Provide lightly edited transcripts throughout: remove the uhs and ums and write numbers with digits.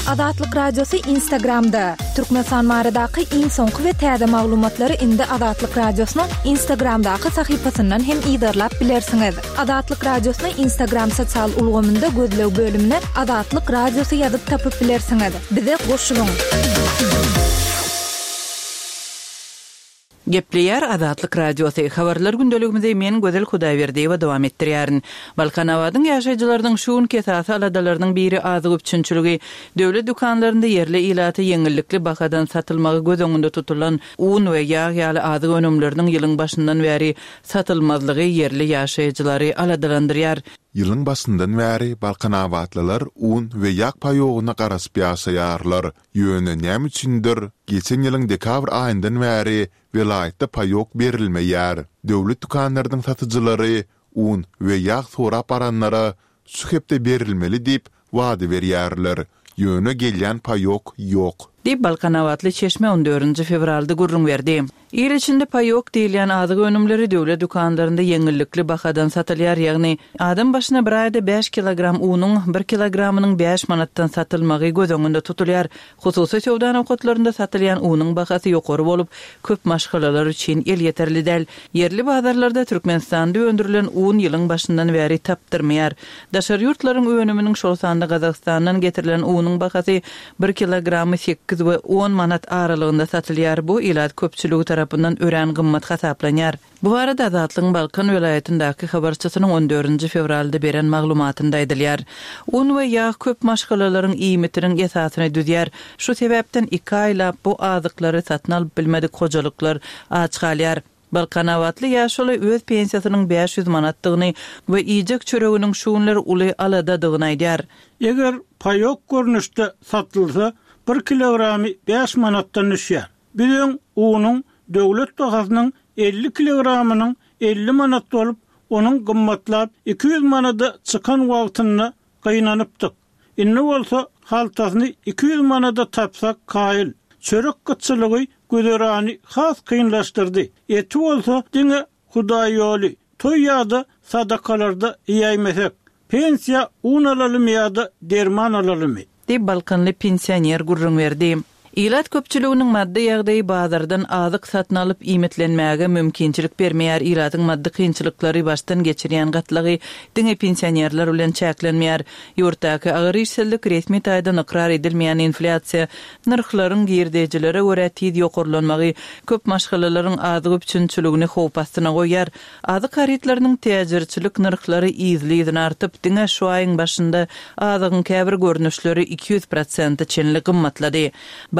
Azatlyk Radiosy Instagramda! Türkmenistan baradaky iň soňky we täze maglumatlary indi Azatlyk Radiosynyň Instagramdaky sahypasyndan hem yzarlap bilersiňiz. Azatlyk Radiosyny Instagram sosial ulgamynda gözleg bölümine Azatlyk Radiosy ýazyp tapyp bilersiňiz. Bize goşulyň! Gepleýär Azatlyk Radiosy, Habarlar gündeligimizi men Gözel Hudaýberdiýewa dowam etdirýärin. Balkanabadyň ýaşaýjylarynyň şu günki esasy aladalarynyň biri azyk üpjünçiligi. Döwlet dükanlarynda ýerli ilata ýeňillikli bahadan satylmagy göz öňünde tutulan un we ýag ýaly azyk önümleriniň ýylyň başyndan bäri satylmazlygy ýerli ýaşaýjylary aladalandyrýar. Ýylyň başyndan bäri balkanabatlylar un we ýag paýogyna garaşyp ýaşaýarlar. Ýöne näme üçindir, geçen ýylyň dekabr aýyndan bäri welaýatda paýok berilmeýär. Döwlet dükanlarynyň satyjylary un we ýag sorap baranlara şu hepde berilmeli diýip, wada berýärler. Ýöne gelýän paýok ýok. Diýip, balkanabatly çeşme on dördünji fewralda gürrüň berdi. Il içinde paýok diýilýän azyk önümleri döwlet dükanlarynda ýeňillikli bahadan satylýar, ýagny adam başyna bir aýda bäş kilogram unuň bir kilogramynyň bäş manatdan satylmagy göz öňünde tutulýar. Hususy söwda nokatlarynda satylýan unuň bahasy ýokary bolup, köp maşgalalar üçin elýeterli däl. Ýerli bazarlarda Türkmenistanda öndürilen un ýylyň başyndan bäri tapdyrmaýar. Daşary ýurtlaryň önüminiň, şol sanda Gazagystandan getirilen unuň bahasy bir kilogramy sekiz we on manat aralygynda satylýar, bu ilat köpçüligi tarapyndan örän gymmat hasaplanýar. Bu barada Azatlygyň Balkan welaýatyndaky habarçysynyň on dördünji fewralda beren maglumatynda aýdylýar. Un we ýag köp maşgalalaryň iýmitiniň esasyny düzýär. Şu sebäpden iki aýlap bu azyklary satyn alyp bilmedik hojalyklar aç galýar. Balkanabatly ýaşuly öz pensiýasynyň 500 manatdygyny we iýjek çöreginiň şu günler uly aladadygyny aýdýar. Eger paýok görnüşde satylsa, bir kilogramy bäş manatdan düşýär. Biz öň unuň döwlet bahasynyň 50 kilogramynyň 50 manat bolup, onuň gymmatlap 200 manada çykan wagtynda gynanypdyk. Indi bolsa haltasyny 200 manada tapsak kaýyl. Çörek gytçylygy güzerany has kynlaşdyrdy. Eti bolsa diňe hudaýýoly, toý ýa-da sadakalarda iýäýmesek. Pensiýa un alalymy ýa-da derman alalymy? Diýip, balkanly pensioner gürrüň berdi. Ilat köpçüliginiň maddy ýagdaýy bazardan azyk satyn alyp iýmitlenmäge mümkinçilik bermeýär. Ilatyň maddy kynçylyklary başdan geçirýän gatlagy diňe pensionerler bilen çäklenmeýär. Ýurtdaky agyr işsizlik, resmi taýdan ykrar edilmeýän inflýasiýa, nyrhlaryň girdejilere görä tiz ýokarlanmagy köp maşgalalaryň azyk üpjünçiligini howp astyna goýýar. Azyk harytlarynyň täjirçilik nyrhlary yzly-yzyna artyp, diňe şu aýyň başynda azygyň käbir görnüşleri 200 prosente çenli gymmatlady.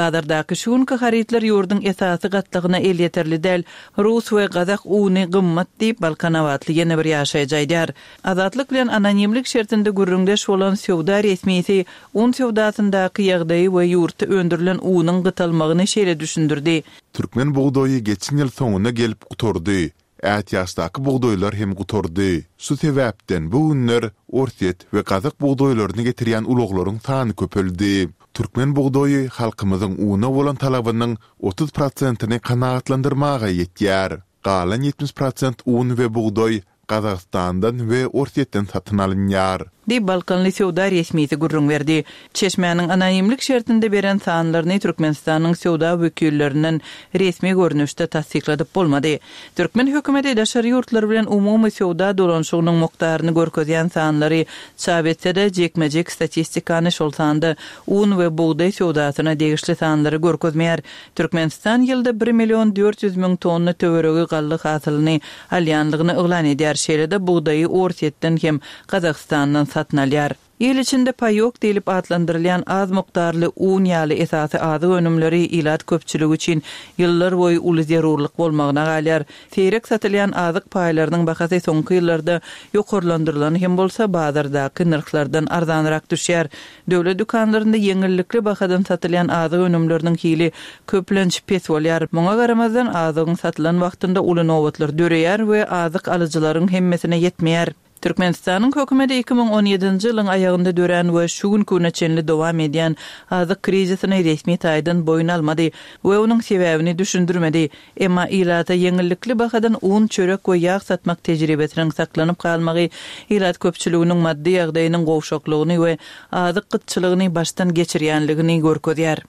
Bazardaky şu günki harytlar ýurduň esasy gatlagyna elýeterli däl, rus we gazak uny gymmat diýip, balkanabatly ýene bir ýaşaýjy aýdýar. Azatlyk bilen anonimlik şertinde gürrüňdeş bolan söwda resmisi un söwdasyndaky ýagdaýy we ýurtda öndürilen unuň gytalmagyny şeýle düşündirdi. Türkmen bugdaýy geçen ýyl soňuna gelip gutardy. Ätiýaçdaky bugdaýlar hem gutardy. Şu sebäpden bu günler orsýet we gazak bugdaýlaryny getirýän ulaglaryň sany köpeldi. Türkmen bugdaýy halkymyzyň una bolan talabynyň 30 prosentini kanagatlandyrmaga ýetýär. Galan 70 prosent un we bugdaý Gazagystandan we Orsýetden satyn alynýar. Diýip, balkanly söwda resmisi gürrüň berdi. Çeşmäniň anonimlik şertinde beren sanlaryny Türkmenistanyň söwda wekillerinden resmi görnüşde tassykladyp bolmady. Türkmen hökümeti daşary ýurtlar bilen umumy söwda dolanyşygynyň mukdaryny görkezýän sanlary çap etse-de, jikme-jik statistikany, şol sanda un we bugdaý söwdasyna degişli sanlary görkezmeýär. Türkmenistan ýylda bir million 400 müň tonna töweregi galla hasylyny alýanlygyny yglan edýär, şeýle-de bugdaýy Orsýetden hem Gazagystandan satyn alýar. Il içinde paýok diýlip atlandyrylýan az mukdarly un ýaly esasy azyk önümleri ilat köpçüligi üçin ýyllarboýy uly zerurlyk bolmagyna galýar. Seýrek satylýan azyk paýlarynyň bahasy soňky ýyllarda ýokarlandyrylan hem bolsa, bazardaky nyrhlardan arzanrak düşýär. Döwlet dükanlarynda ýeňillikli bahadan satylýan azyk önümleriniň hili köplenç pes bolýar. Muňa garamazdan, azygyň satylan wagtynda uly nobatlar döreýär we azyk alyjylaryň hemmesine ýetmeýär. Türkmenistanyň hökümeti 2017-nji ýylyň aýagynda dörän we şu günki güne çenli dowam edýän azyk krizisini resmi taýdan boýun almady we onuň sebäbini düşündirmedi. Emma ilata ýeňillikli bahadan un, çörek we ýag satmak tejribesiniň saklanyp galmagy ilat köpçüliginiň maddy ýagdaýynyň gowşaklygyny we azyk gytçylygyny başdan geçirýänligini görkezýär.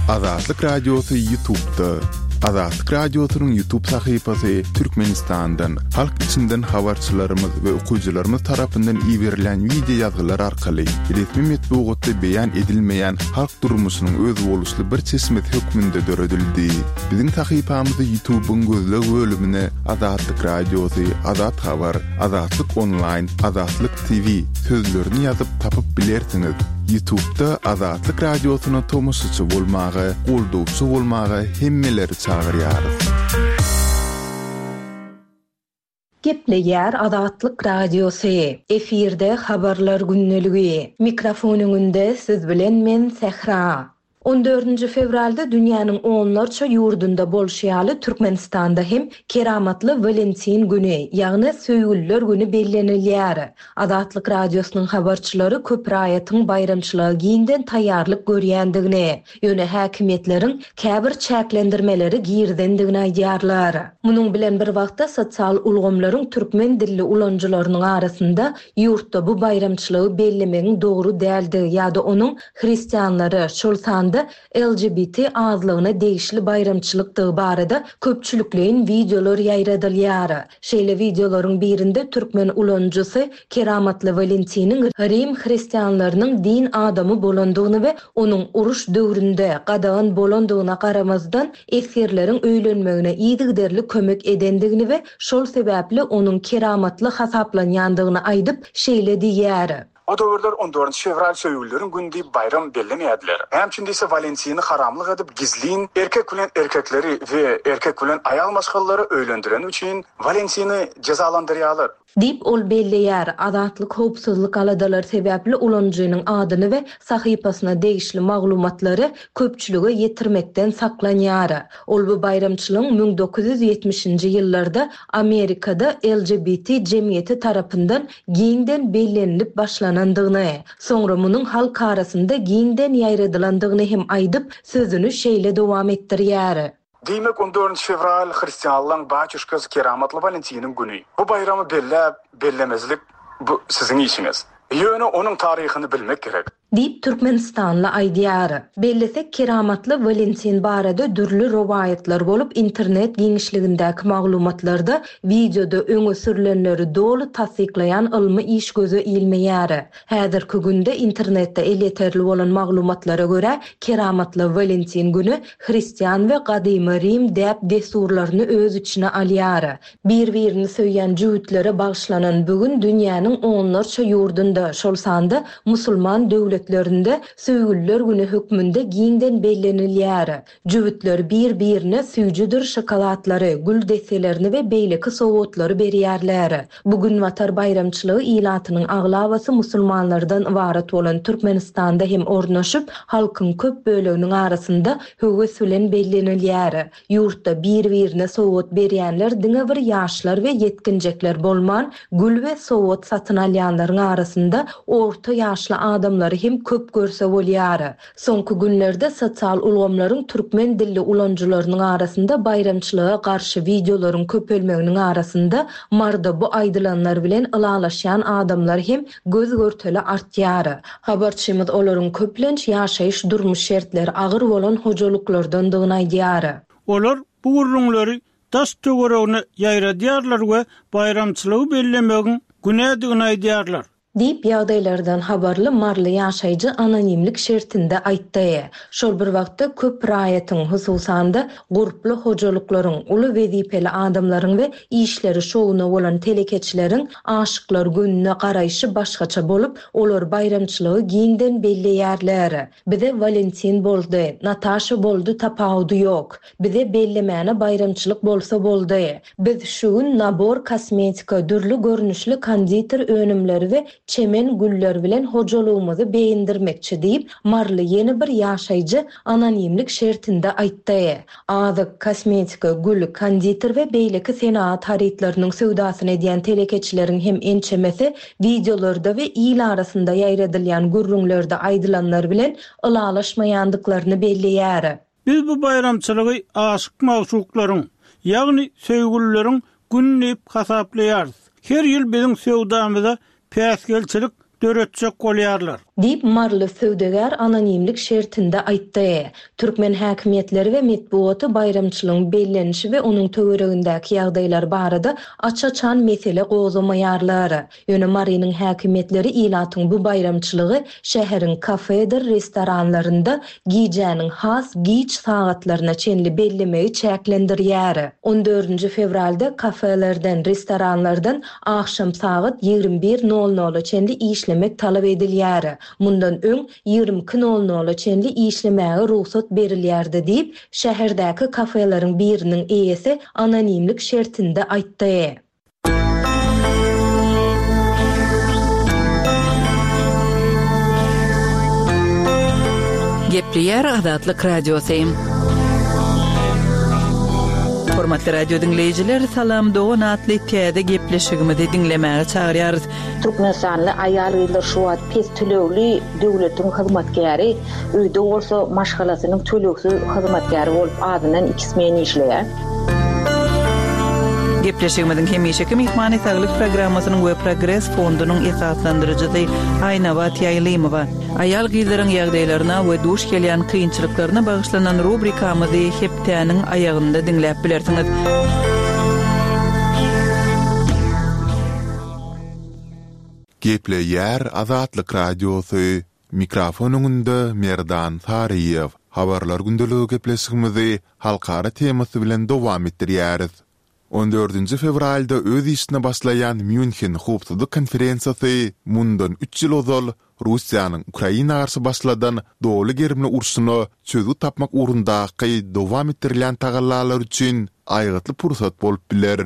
Azatlyk Radiosy YouTube'da. Azatlyk Radiosynyň YouTube sahypasy Türkmenistandan, halk içinden habarçylarymyz we okyjylarymyz tarapyndan iberilen wideo ýazgylar arkaly resmi metbugatda beýan edilmeýän halk durmuşynyň özboluşly bir çeşmesi hökmünde döredildi. Biziň sahypamyzy YouTube-yň gözleg bölümine Azatlyk Radiosy, Azat Habar, Azatlyk Onlaýn, Azatlyk TV sözlerini ýazyp tapyp bilersiňiz. Ýutubda Azatlyk Radiosyna tomaşaçy bolmaga, goldawçy bolmaga hemmeleri çagyrýarys. Gepleýär Azatlyk Radiosy, efirde Habarlar gündeligi. Mikrofon öňünde siz bilen men Sähra. On dördünji fewralda dünýäniň onlarça ýurdunda bolşy ýaly Türkmenistanda hem keramatly Walentin güni, ýagny Söýgüliler güni bellenilýär. Azatlyk Radiosynyň habarçylary köp raýatyň baýramçylyga giňden taýýarlyk görýändigini, ýöne häkimiýetleriň käbir çäklendirmeleri girizendigini aýdýarlar. Munuň bilen bir wagtda sosial ulgamlaryň türkmen dilli ulanyjylarynyň arasynda ýurtda bu baýramçylygy bellemegiň dogry däldigi ýa-da onuň hristianlara, şol sanda LGBT azlygyna degişli baýramçylykdygy barada köpçülikleýin wideolar ýaýradylýar. Şeýle wideolaryň birinde türkmen ulanyjysy Keramatly Walentiniň rim hristianlarynyň din adamy bolandygyny we onuň uruş döwründe, gadagan bolandygyna garamazdan, esgerleriň öýlenmegine yzygiderli kömek edendigini we şol sebäpli onuň keramatly hasaplanýandygyny aýdyp, şeýle diýýär. O döwürler on dördünji fewral söýgülileriň güni diýip baýram bellemeýärdiler. Näme üçin diýse Walentini haramlyk edip gizlin erkek bilen erkekleri we erkek bilen aýal maşgalalary öýlendireni üçin Walentini jezalandyrýarlar. Diýip, ol belleýär. Azatlyk howpsuzlyk aladalary sebäpli ulanyjynyň adyny we sahypasyna degişli maglumatlary köpçülige ýetirmekden saklanýar. Ol bu baýramçylygyň 1970-nji ýyllarda Amerikada LGBT jemgyýeti tarapyndan giňden bellenilip başlanandygyny, soňra munuň halk arasynda giňden ýaýradylandygyny hem aýdyp, sözüni şeýle dowam etdirýär. Diýmek, on dördünji fewral hristianlaň batýuşkasy keramatly Walentiniň güni. Bu baýramy belläp, bellemezlik bu siziň işiňiz. Ýöne onuň taryhyny bilmek gerek. Diýip, türkmenistanly aýdýar. Bellesek, keramatly Walentin barada dürli rowaýatlar bolup, internet giňişligindäki maglumatlarda wideoda öňe sürlenleri doly tassyklaýan ylmy iş göze ilmeýär. Häzirki günde internetde elýeterli bolan maglumatlara görä, keramatly Walentin güni hristian we gadymy rim däp-dessurlaryny öz içine alýar. Bir-birini söýýän jübütlere bagyşlanan bu gün dünýäniň onlarça ýurdunda, şol sanda musulman döwletlerinde Söýgüliler güni hökmünde giňden bellenilýär. Jübütler bir-birine süýjüdir şokoladlary, gül desselerini we beýleki sowgatlary berýärler. Bu günbatar baýramçylygy ilatynyň aglabasy musulmanlardan ybarat bolan Türkmenistanda hem ornaşyp, halkyň köp böleginiň arasynda höwes bilen bellenilýär. Ýurtda bir-birine sowgat berýänler diňe bir ýaşlar we ýetginjekler bolman, gül we sowgat satyn alýanlaryň arasynda orta ýaşly adamlary hem köp görse bolýar. Soňky günlerde sosial ulgamlaryň türkmen dilli ulanyjylarynyň arasynda baýramçylyga garşy wideolaryň köpelmeginiň arasynda Maryda bu aýdylanlar bilen ylalaşýan adamlar hem göz-görtele artýar. Habarçymyz olaryň köplenç ýaşaýyş-durmuş şertleri agyr bolan hojalyklardandygyny aýdýar. Olar bu gürrüňleri daş-töweregine ýaýradýarlar we baýramçylygy bellemegiň günädigini aýdýarlar. Diýip, ýagdaýlardan habarly maryly ýaşaýjy anonimlik şertinde aýtdy. Şol bir wagtda, köp raýatyň, hususan-da, gurply hojalyklaryň, uly wezipeli adamlaryň we işleri şowuna bolan telekeçileriň Aşyklar gününe garaýşy başgaça bolup, olar baýramçylygy giňden belleýärler. Bize Walentin boldy, Nataşa boldy tapawudy ýok. Bize bellemäne baýramçylyk bolsa boldy. Biz şu gün nabor kosmetika, dürli görnüşli konditer önümleri we. çemen güller bilen hojalygymyzy beýendirmekçi diýip, maryly ýene bir ýaşaýjy anonimlik şertinde aýtdy. Azyk, kosmetika, gül, konditer we beýleki senagat harytlarynyň söwdasyny edýän telekeçileriň hem ençemesi wideolarda we il arasynda ýaýradylýan gürrüňlerde aýdylanlar bilen ylalaşmaýandyklaryny belleýär. Biz bu baýramçylygy aşyk-magşuklaryň, ýagny söýgülileriň güni diýip hasaplaýarys. Her ýyl biziň söwdamyza päsgelçilik döretjek bolýarlar. Diýip, maryly söwdagär anonimlik şertinde aýtdy. Türkmen häkimiýetleri we metbugaty baýramçylygyň bellenişi we onuň töweregindäki ýagdaýlar barada aç-açan mesele gozgamaýarlar. Ýöne Marynyň häkimiýetleri ilatyň bu baýramçylygy şäheriň kafedir restoranlarynda gijäniň has giç sagatlaryna çenli bellemegi çäklendirýär. On dördünji fewralda kafelerden, restoranlardan agşam sagat 21 nol nola çenli işlemek talap edilýär. Mundan öň 22 nol nola çenli işlemäge rugsat berilýärdi diýip, şäherdäki kafeleriň biriniň eýesi anonimlik şertinde aýtdy. Gepleýär Azatlyk Radiosy. Hormatly radio diňleýjiler, Salam dogan atly täze gepleşigimizi diňlemäge çagyrýarys. Türkmenistanly aýal-gyzlar şu wagt pes tölegli döwletiň hyzmatkäri, öýde bolsa maşgalasynyň tölegsiz hyzmatkäri bolup azyndan iki smen işleýär. Gepleşigimiziň hemişeki myhmany Saglyk programmasynyň we Progres fondunyň esaslandyryjysy Aýnabat Ýaýlymowa. Aýal-gyzlaryň ýagdaýlaryna we duş gelýän kynçylyklaryna bagyşlanan rubrikamyzy hepdäniň aýagynda diňläp bilersiňiz. Gepleýär Azatlyk Radiosy, Mikrofon öňünde Merdan Saryýew. Habarlar gündeligi gepleşigimizi halkara temasy bilen dowam etdirýäris. On dördünji fewralda öz işine başlaýan Mýunhen howpsuzlyk konferensiýasy mundan üç ýyl ozal Russiýanyň Ukraina garşy başladan doly gerimli urşuna çözgüt tapmak ugrundaky dowam etdirilýän tagallalar üçin aýgytly pursat bolup biler.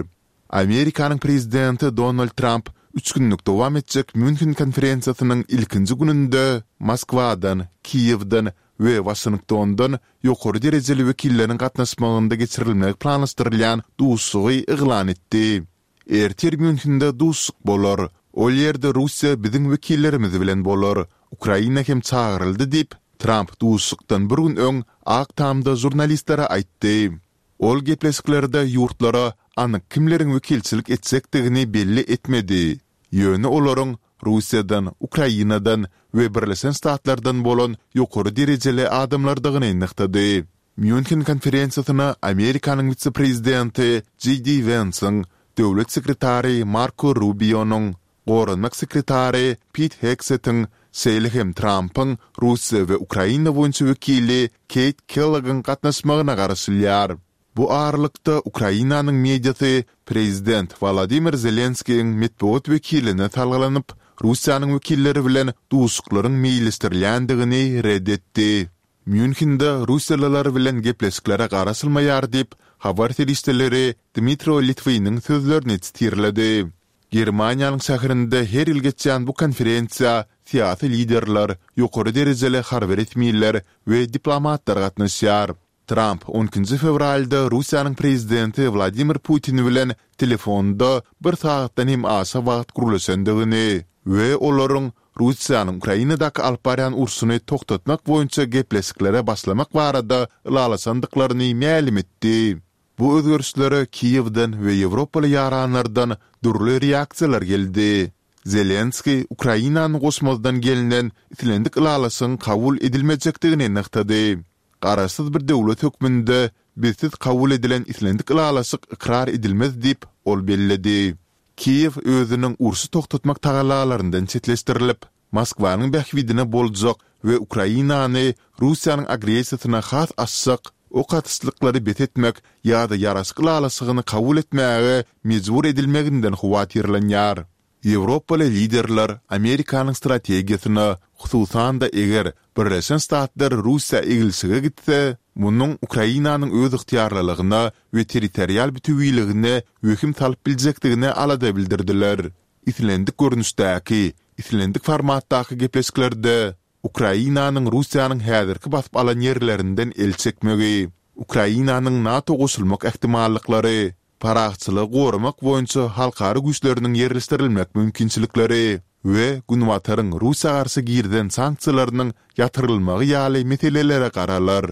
Amerikanyň prezidenti Donald Tramp üç günlük dowam etjek Mýunhen konferensiýasynyň ilkinji gününde Moskwadan, Kiýewden we Waşingtondan ýokary derejeli wekilleriň gatnaşmagynda geçirilmegi planlaşdyrylýan duşuşygy yglan etdi. Ertir Mýunhende duşuşyk bolar. Ol ýerde Russiýa biziň wekillerimiz bilen bolar. Ukraina hem çagyryldy diýip, Tramp duşuşykdan bir gün öň Ak Tamda žurnalistlere aýtdy. Ol gepleşiklerde ýurtlara anyk kimleriň wekilçilik etjekdigini belli etmedi, ýöne olaryň Russiýadan, Ukrainadan we Birleşen Ştatlardan bolan ýokary derejeli adamlardygyny nygtady. Mýunhen konferensiýasyna Amerikanyň wise-prezidenti JD Wensiň, döwlet sekretary Marko Rubionyň, Goranmak sekretary Pit Hegsetiň, şeýle hem Trampyň Russiýa we Ukraina boýunça wekili Keýt Kellogyň gatnaşmagyna garaşylýar. Bu aralykda, Ukrainanyň mediasy prezident Wolodymyr Zelenskiýiň metbugat wekiline salgylanyp, Russiýanyň wekilleri bilen duşuşyklaryň meýilleşdirilýändigini ret etdi. Mýunhende russiýalylar bilen gepleşiklere garaşylmaýar diýip, habar serişdeleri Dmitro Litwiniň sözlerini sitirledi. Germaniýanyň şäherinde her ýyl geçýän bu konferensiýa syýasy liderler, ýokary derejeli harby resmiler we diplomatlar gatnaşýar. Tramp on ikinji fewralda Russiýanyň prezidenti Wladimir Putin bilen telefonda bir sagatdan hem aşa wagt gürleşendigini we olaryň Russiýanyň Ukrainadaky alyp barýan urşuny togtatmak boýunça gepleşiklere başlamak barada ylalaşandyklaryny mälim etdi. Bu özgerişlere Kiýewden we ýewropaly ýaranlardan dürli reaksiýalar geldi. Zelenskiý Ukrainany goşmazdan gelnen islendik ylalaşygyň kabul edilmejekdigini nygtady. Garaşsyz bir döwlet hökmünde bizsiz kabul edilen islendik ylalaşyk ykrar edilmez diýip, ol belledi. Kiýew özüniň urşy togtatmak tagallalaryndan çetleşdirilip, Moskwanyň bähbidine boljak we Ukrainany Russiýanyň agressiýasyna has açjak ok atyşlyklary bes etmek ýa-da ýaraşyk ylalaşygyny kabul etmäge mejbur edilmeginden howatyrlanýar. Ýewropaly liderler Amerikanyň strategiýasyna, hususan-da eger Birleşen Ştatlar Russiýa eglişige gitse, munuň Ukrainanyň özygtyýarlylygyna we territorial bütewiligine wehim salyp biljekdigine alada bildirdiler. Islendik görnüşdäki, Islendik formatdaky gepleşiklerde Ukrainanyň Russiýanyň häzirki basyp alan ýerlerinden el çekmegi, Ukrainanyň NATO goşulmak ähtimallyklary, parahatçylygy goramak boýunça halkara güýçleriniň ýerleşdirilmek mümkinçilikleri we Günbataryň Russiýa garşy girizen sanksiýalarynyň ýatyrylmagy ýaly meselelere garalar.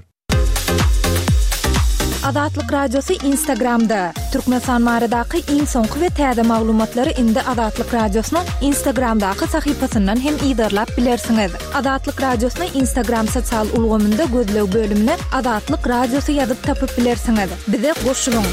Azatlyk Radiosy Instagramda, Türkmenistan baradaky iň soňky we täze maglumatlary indi Azatlyk Radiosynyň Instagramdaky sahypasyndan hem yzarlap bilersiňiz. Azatlyk Radiosyny Instagram sosial ulgamynda gözleg bölümine Azatlyk Radiosy ýazyp tapyp bilersiňiz. Bize goşulyň!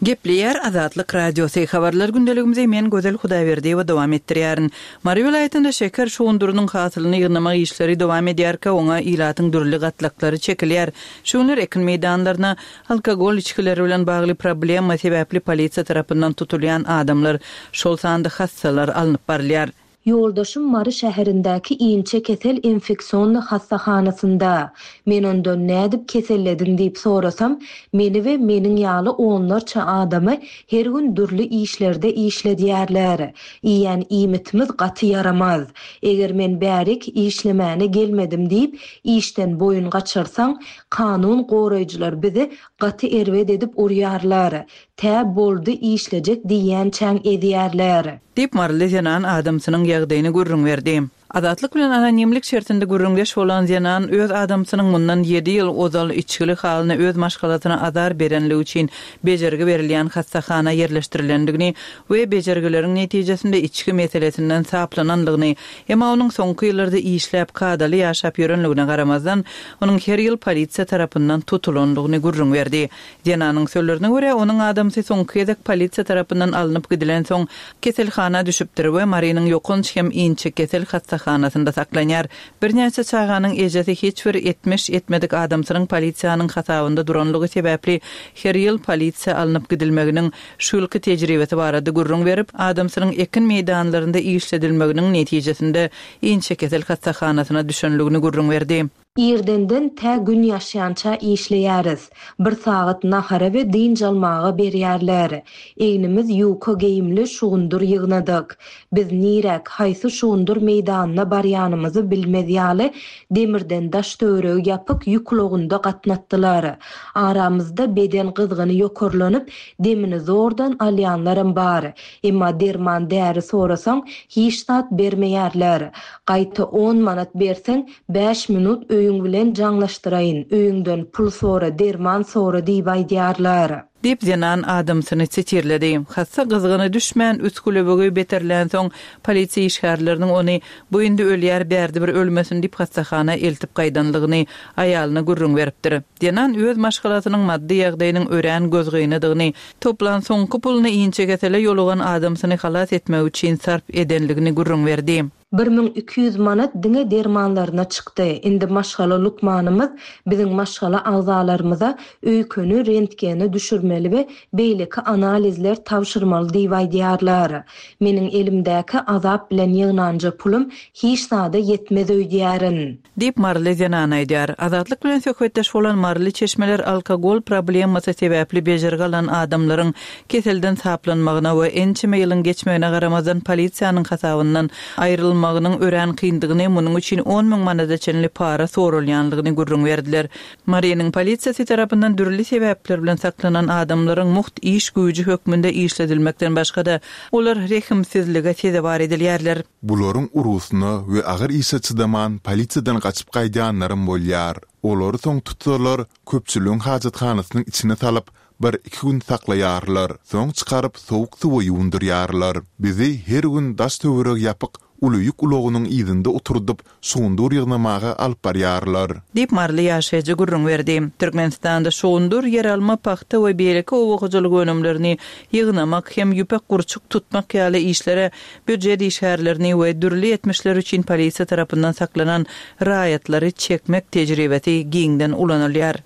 Gepleýär Azatlyk Radiosy, Habarlar gündeligimizi men Gözel Hudaýberdiýewa dowam etdirýärin. Mary welaýatynda şeker şugundyrynyň hasylyny ýygnamak işleri dowam edýärkä oňa ilatyň dürli gatlaklary çekilýär. Şu günler ekin meýdanlaryna alkogol içgileri bilen bagly problema sebäpli polisiýa tarapyndan tutulýan adamlar, şol sanda hassalar alnyp barylýar. Ýoldaşym Mary şäherindäki inçekesel infeksionnyý hassahanasynda. Men ondan nädip kesellediň diýip sorasam, meni we meniň ýaly onlarça adamy her gün dürli işlerde işledýärler. Iýýän iýmitimiz gaty ýaramaz. Eger men bärik işlemäne gelmedim diýip, işden boýun gaçyrsaň, kanun goraýjylar bizi gaty erbet edip urýarlar. Tä boldy işlejek diýýänçäň ezýärler. Diýip, maryly zenan adamsynyň ýagdaýyny gürrüň berdi. Azatlyk bilen anonimlik şertinde gürrüňdeş bolan zenan öz adamsynyň mundan ýedi ýyl ozal içgili halyna öz maşgalasyna azar berenligi üçin bejergi berilýän hassahana ýerleşdirilendigini we bejergileriň netijesinde içgi meselesinden saplanandygyny, emma onuň soňky ýyllarda işläp, kadaly ýaşap ýörenligine garamazdan, onuň her ýyl polisiýa tarapyndan tutulandygyny gürrüň berdi. Zenanyň sözlerine görä, onuň adamsy soňky gezek polisiýa tarapyndan alnyp gidilensoň, keselhana düşüpdir we Marynyň ýokanç hem inçekesel hassahanasynda saklanýar. Birnäçe çaganyň ejesi hiç bir etmiş etmedik adamsynyň polisiýanyň hasabynda duranlygy sebäpli her ýyl polisiýa alnyp gidilmeginiň şu ýylky tejribesi barada gürrüň berip, adamsynyň ekin meýdanlarynda işledilmeginiň netijesinde inçekesel hassahanasyna düşenligini gürrüň berdi. Irdenden tä Gün ýaşýança işleýäris. Bir sagat nahara we dynç almaga berýärler. Egnimiz ýuka geýimli şugundyr ýygnadyk. Biz niräk, haýsy şugundyr meýdanyna barýanymyzy bilmez ýaly, demirden daş-töweregi ýapyk ýük ulagynda gatnatdylar. Aramyzda beden gyzgyny ýokarlanyp, demini zordan alýanlaram bar. Emma derman-däri sorasaň, hiç zat bermeýärler. Gaýta on manat berseň, Bäş minut öýüň bilen jaňlaşdyraýyn, öýüňden pul sora, derman sora diýip aýdýarlar. Diýip, zenan adamsyny sitirledi. Hassa gyzgyny düşmän, üsgülewügi beterlänsoň, polisiýa işgärleriniň ony, Bu indi ölýär, bärde bir ölmesin diýip hassahana eltip gaýdanlygyny aýalyna gürrüň beripdir. Zenan öz maşgalasynyň maddy ýagdaýynyň örän gözgynydygyny, toplan soňky puluny inçekesele ýolugan adamsyny halas etmek üçin sarp edenligini gürrüň berdi. 1200 manat diňe dermanlaryna çykdy. Indi maşgala lukmanymyz biziň maşgala agzalarymyza öýkeni rentgene düşürmeli we beýleki analizler tabşyrmaly diýip aýdýarlar. Meniň elimdäki azap bilen ýygnanja pulum hiç zada ýetmez öýdýärin. Diýip, maryly zenan aýdýar. Azatlyk bilen söhbetdeş bolan maryly çeşmeler alkogol problemasy sebäpli bejergi alan adamlaryň keselden saplanmagyna we ençeme ýylyň geçmegine garamazdan polisiýanyň hasabyndan aýrylmagynyň örän kyndygyny, munuň üçin 10 müň manada çenli para soralýanlygyny gürrüň berdiler. Marynyň polisiýasy tarapyndan dürli sebäpler bilen saklanan adamlaryň mugt iş güýji hökmünde işledilmekden başga-da, olar rehimsizlige sezewar edilýärler. Bularyň urgusyna we agyr işe çydaman polisiýadan gaçyp gaýdýanlaram bolýar. Olary soň tutsalar, köpçüligiň hajathanasynyň içine salyp, bir-iki gün saklaýarlar. Soň çykaryp, sowuk suwa ýuwundyrýarlar. Bizi her gün daş-töweregi ýapyk uly ýük ulagynyň yzynda oturdyp, şugundyr ýygnamaga alyp barýarlar. Diýip, maryly ýaşaýjy gürrüň berdi. Türkmenistanda şugundyr, ýeralma, pagta we beýleki oba hojalyk önümlerini ýygnamak hem ýüpek gurçuk tutmak ýaly işlere býujet işgärlerini we dürli etmişler üçin polisiýa tarapyndan saklanan raýatlary çekmek tejribesi giňden ulanylýar.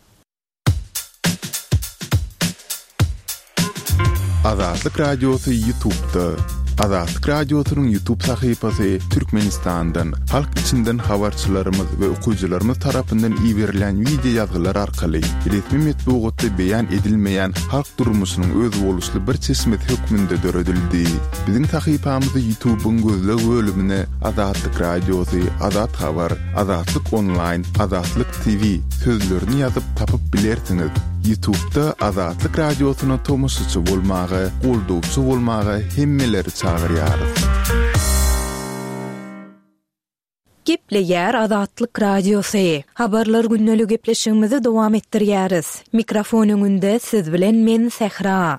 Azatlyk Radiosy Ýutubda. Azatlyk Radiosynyň Ýutub sahypasy Türkmenistandan, halk içinden habarçylarymyz we okyjylarymyz tarapyndan iberilen wideo ýazgylar arkaly resmi metbugat. metbugatda beýan edilmeýän halk durmuşynyň özboluşly bir çeşmesi hökmünde döredildi. Biziň sahypamyzy YouTube-yň gözleg bölümine Azatlyk Radiosy, Azat Habar, Azatlyk Onlaýn, Azatlyk TV sözlerini ýazyp tapyp bilersiňiz. YouTube-da Azatlyk Radiosyna tomaşaçy bolmaga, goldawçy bolmaga hemmeleri çagyrýarys. Gepleýär Azatlyk Radiosy. Habarlar gündeli gepleşigimizi dowam etdirýäris. Mikrofon öňünde siz bilen men Sähra.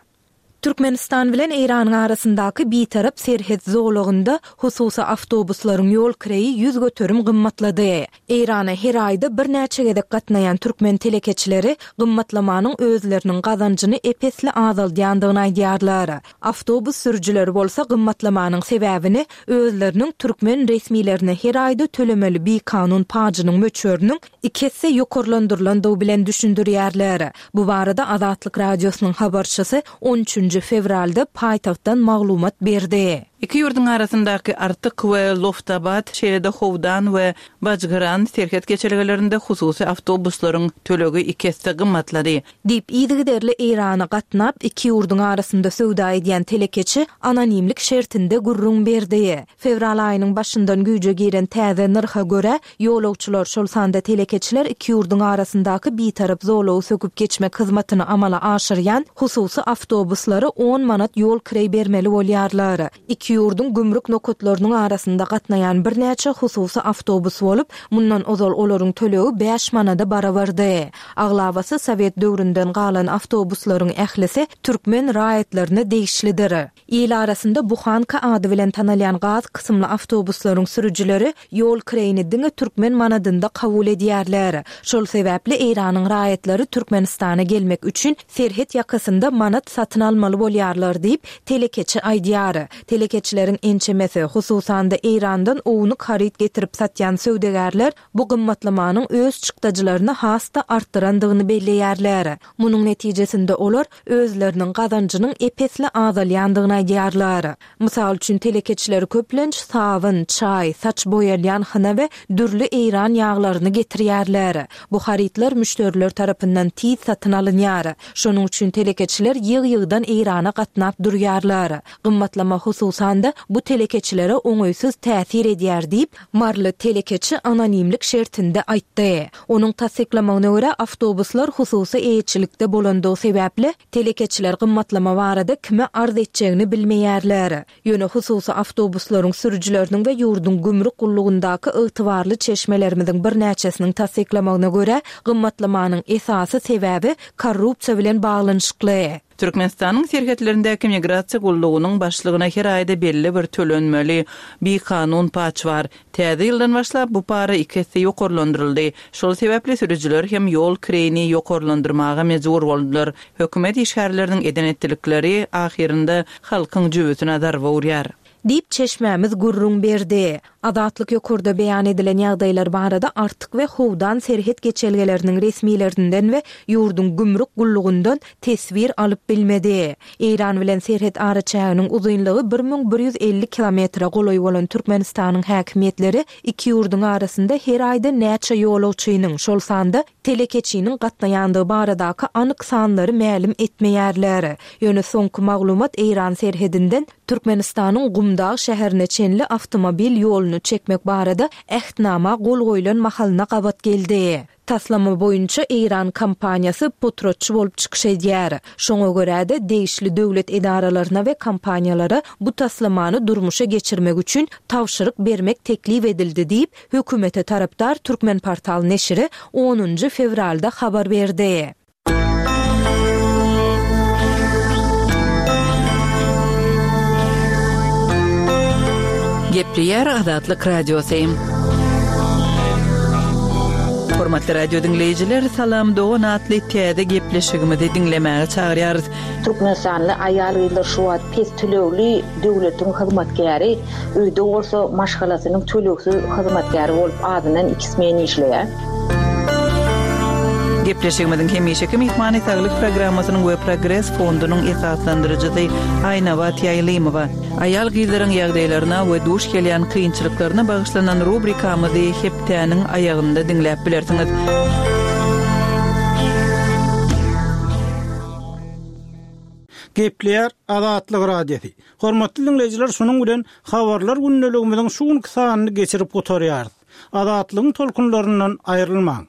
Türkmenistan bilen Eýranyň arasyndaky bitarap serhet zolagynda hususy awtobuslaryň ýol kireýi 100% gymmatlady. Eýrana her aýda birnäçe gezek gatnaýan türkmen telekeçileri gymmatlamanyň özleriniň gazanjyny ep-esli azaldýandygyny aýdýarlar. Awtobus sürüjileri bolsa gymmatlamanyň sebäbini özleriniň türkmen resmilerine her aýda tölemeli bikanun pajynyň möçberiniň iki esse ýokarlandyrylandygy bilen düşündirýärler. Bu barada Azatlyk Radiosynyň habarçysy on üçünji fewralda paýtagtdan maglumat berdi. Iki ýurduň arasyndaky Artyk we Loftabat, şeýle-de Howdan we Bajgyran serhet geçelgelerinde hususy awtobuslaryň tölegi iki esse gymmatlady. Diýip, yzygiderli Eýrana gatnap, iki ýurduň arasynda söwda edýän telekeçi anonimlik şertinde gürrüň berdi. Fewral aýynyň başyndan güýje giren täze nyrha görä, ýolagçylar, şol sanda telekeçiler iki ýurduň arasyndaky bitarap zolagy söküp geçmek hyzmatyny amala aşyrýan hususy awtobuslara on manat ýol kireý bermeli bolýarlar. Iki ýurduň gümrük nokatlarynyň arasynda gatnaýan birnäçe hususy awtobus bolup, mundan ozal olaryň tölegi bäş manada barabardy. Aglabasy sowet döwründen galan awtobuslaryň ählisi türkmen raýatlaryna degişlidir. Il arasynda buhanka ady bilen tanalýan gaz kysymly awtobuslaryň sürüjileri ýol kireýini diňe türkmen manadynda kabul edýärler. Şol sebäpli Eýranyň raýatlary Türkmenistana gelmek üçin serhet ýakasynda manat satyn almaly bolýarlar diýip, telekeçi aýdýar. Telekeçileriň ençemesi, hususan-da Eýrandan ownuk haryt getirip satýan söwdagärler bu gymmatlamanyň öz çykdajylaryny has-da artdyrandygyny belleýärler. Munuň netijesinde olar özleriniň gazanjynyň ep-esli azalýandygyny aýdýarlar. Mysal üçin, telekeçiler köplenç sabyn, çaý, saç boýalýan hyna we dürli eýran ýaglaryny getirýärler. Bu harytlar müşderiler tarapyndan tiz satyn alynýar. Şonuň üçin telekeçiler ýygy-ýygydan Eýrana gatnap durýarlar. Gymmatlama hususan-da, bu telekeçilere oňaýsyz täsir edýär diýip, maryly telekeçi anonimlik şertinde aýtdy. Onuň tassyklamagyna görä, awtobuslar hususy eýeçilikde bolandygy sebäpli, telekeçiler gymmatlama barada kime arz etjegini bilmeýärler. Ýöne hususy awtobuslaryň sürüjileriniň we ýurduň gümrük gullugyndaky ygtybarly çeşmelerimiziň birnäçesiniň tassyklamagyna görä, gymmatlamanyň esasy sebäbi korrupsiýa bilen baglanyşykly. Türkmenistanyň serhetlerindäki migrasiýa gullugynyň başlygyna her aýda belli bir tölenmeli bikanun paç bar. Täze ýyldan başlap bu para iki esse ýokarlandyryldy. Şol sebäpli sürüjiler hem ýol kireýini ýokarlandyrmaga mejbur boldular. Hökümet işgärleriniň eden-etdilikleri ahyrynda halkyň jübüsine zarba urýar. Diýip, çeşmämiz gürrüň berdi. Azatlyk ýokarda beýan edilen ýagdaýlar barada Artyk we Howdan serhet geçelgeleriniň resmilerinden we ýurduň gümrük gullugyndan teswir alyp bilmedi. Eýran bilen serhet araçäginiň uzynlygy 1150 kilometre golaý bolan Türkmenistanyň häkimiýetleri iki ýurduň arasynda her aýda näçe ýolagçynyň, şol sanda telekeçiniň gatnaýandygy baradaky anyk sanlary mälim etmeýärler. Ýöne soňky maglumat Eýran serhedinden Türkmenistanyň Gumdag şäherine çenli awtomobil ýoluny çekmek barada Ähtnama gol goýlan mahalyna gabat geldi. Taslama boýunça eýran kompaniýasy potratçy bolup çykyş edýär. Şoňa görä-de, degişli döwlet edaralaryna we kompaniýalara bu taslamany durmuşa geçirmek üçin tabşyryk bermek teklip edildi diýip, hökümete tarapdar Turkmenportal neşiri onunjy fewralda habar berdi. Gepleýär Azatlyk Radiosy. Hormatly radio diňleýjiler, Salam dogan atly täze gepleşigimizi diňlemäge çagyrýarys. Türkmenistanly aýal-gyzlar şu wagt pes tölegli döwletiň hyzmatkäri, öýde bolsa maşgalasynyň tölegsiz hyzmatkäri bolup azyndan iki smen işleýär. Gepleşigimiziň hemişeki myhmany Saglyk programmasynyň we Progres fondunyň esaslandyryjysy Aýnabat Ýaýlymowa. Aýal-gyzlaryň ýagdaýlaryna we duş gelýän kynçylyklaryna bagyşlanan rubrikamyzy hepdäniň aýagynda diňläp bilersiňiz. Gepleýär Azatlyk Radiosy. Hormatly diňleýjiler şunuň bilen Habarlar gündeligimiziň şu günki sanyny geçirip gutarýarys. Azatlygyň tolkunlaryndan aýrylmaň.